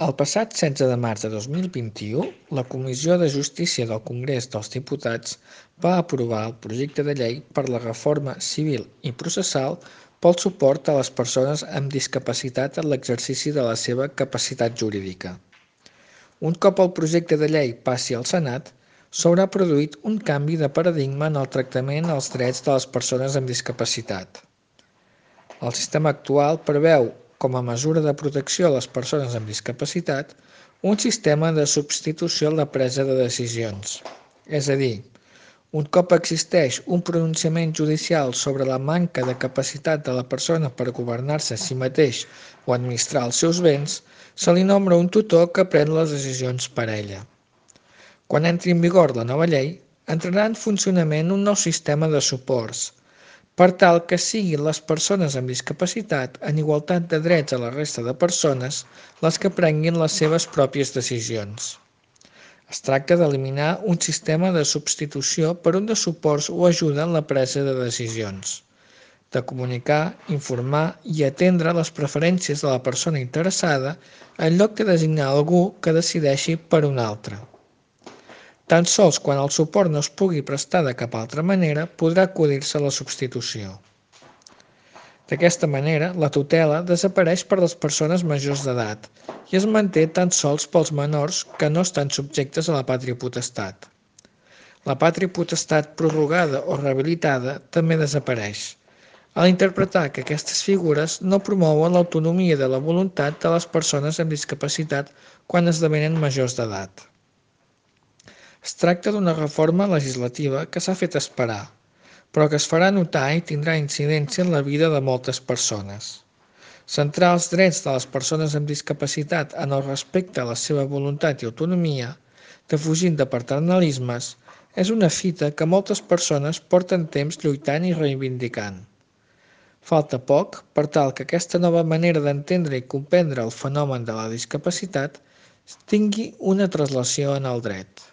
El passat 16 de març de 2021, la Comissió de Justícia del Congrés dels Diputats va aprovar el projecte de llei per la reforma civil i processal pel suport a les persones amb discapacitat en l'exercici de la seva capacitat jurídica. Un cop el projecte de llei passi al Senat, s'haurà produït un canvi de paradigma en el tractament als drets de les persones amb discapacitat. El sistema actual preveu, com a mesura de protecció a les persones amb discapacitat, un sistema de substitució en la presa de decisions. És a dir, un cop existeix un pronunciament judicial sobre la manca de capacitat de la persona per governar-se a si mateix o administrar els seus béns, se li nombra un tutor que pren les decisions per ella. Quan entri en vigor la nova llei, entrarà en funcionament un nou sistema de suports, per tal que siguin les persones amb discapacitat en igualtat de drets a la resta de persones les que prenguin les seves pròpies decisions. Es tracta d'eliminar un sistema de substitució per un de suports o ajuda en la presa de decisions, de comunicar, informar i atendre les preferències de la persona interessada en lloc de designar algú que decideixi per un altre. Tan sols quan el suport no es pugui prestar de cap altra manera podrà acudir-se a la substitució. D'aquesta manera, la tutela desapareix per les persones majors d'edat i es manté tan sols pels menors que no estan subjectes a la pàtria potestat. La pàtria potestat prorrogada o rehabilitada també desapareix, al interpretar que aquestes figures no promouen l'autonomia de la voluntat de les persones amb discapacitat quan esdevenen majors d'edat. Es tracta d'una reforma legislativa que s'ha fet esperar, però que es farà notar i tindrà incidència en la vida de moltes persones. Centrar els drets de les persones amb discapacitat en el respecte a la seva voluntat i autonomia, defugint de paternalismes, és una fita que moltes persones porten temps lluitant i reivindicant. Falta poc per tal que aquesta nova manera d'entendre i comprendre el fenomen de la discapacitat tingui una translació en el dret.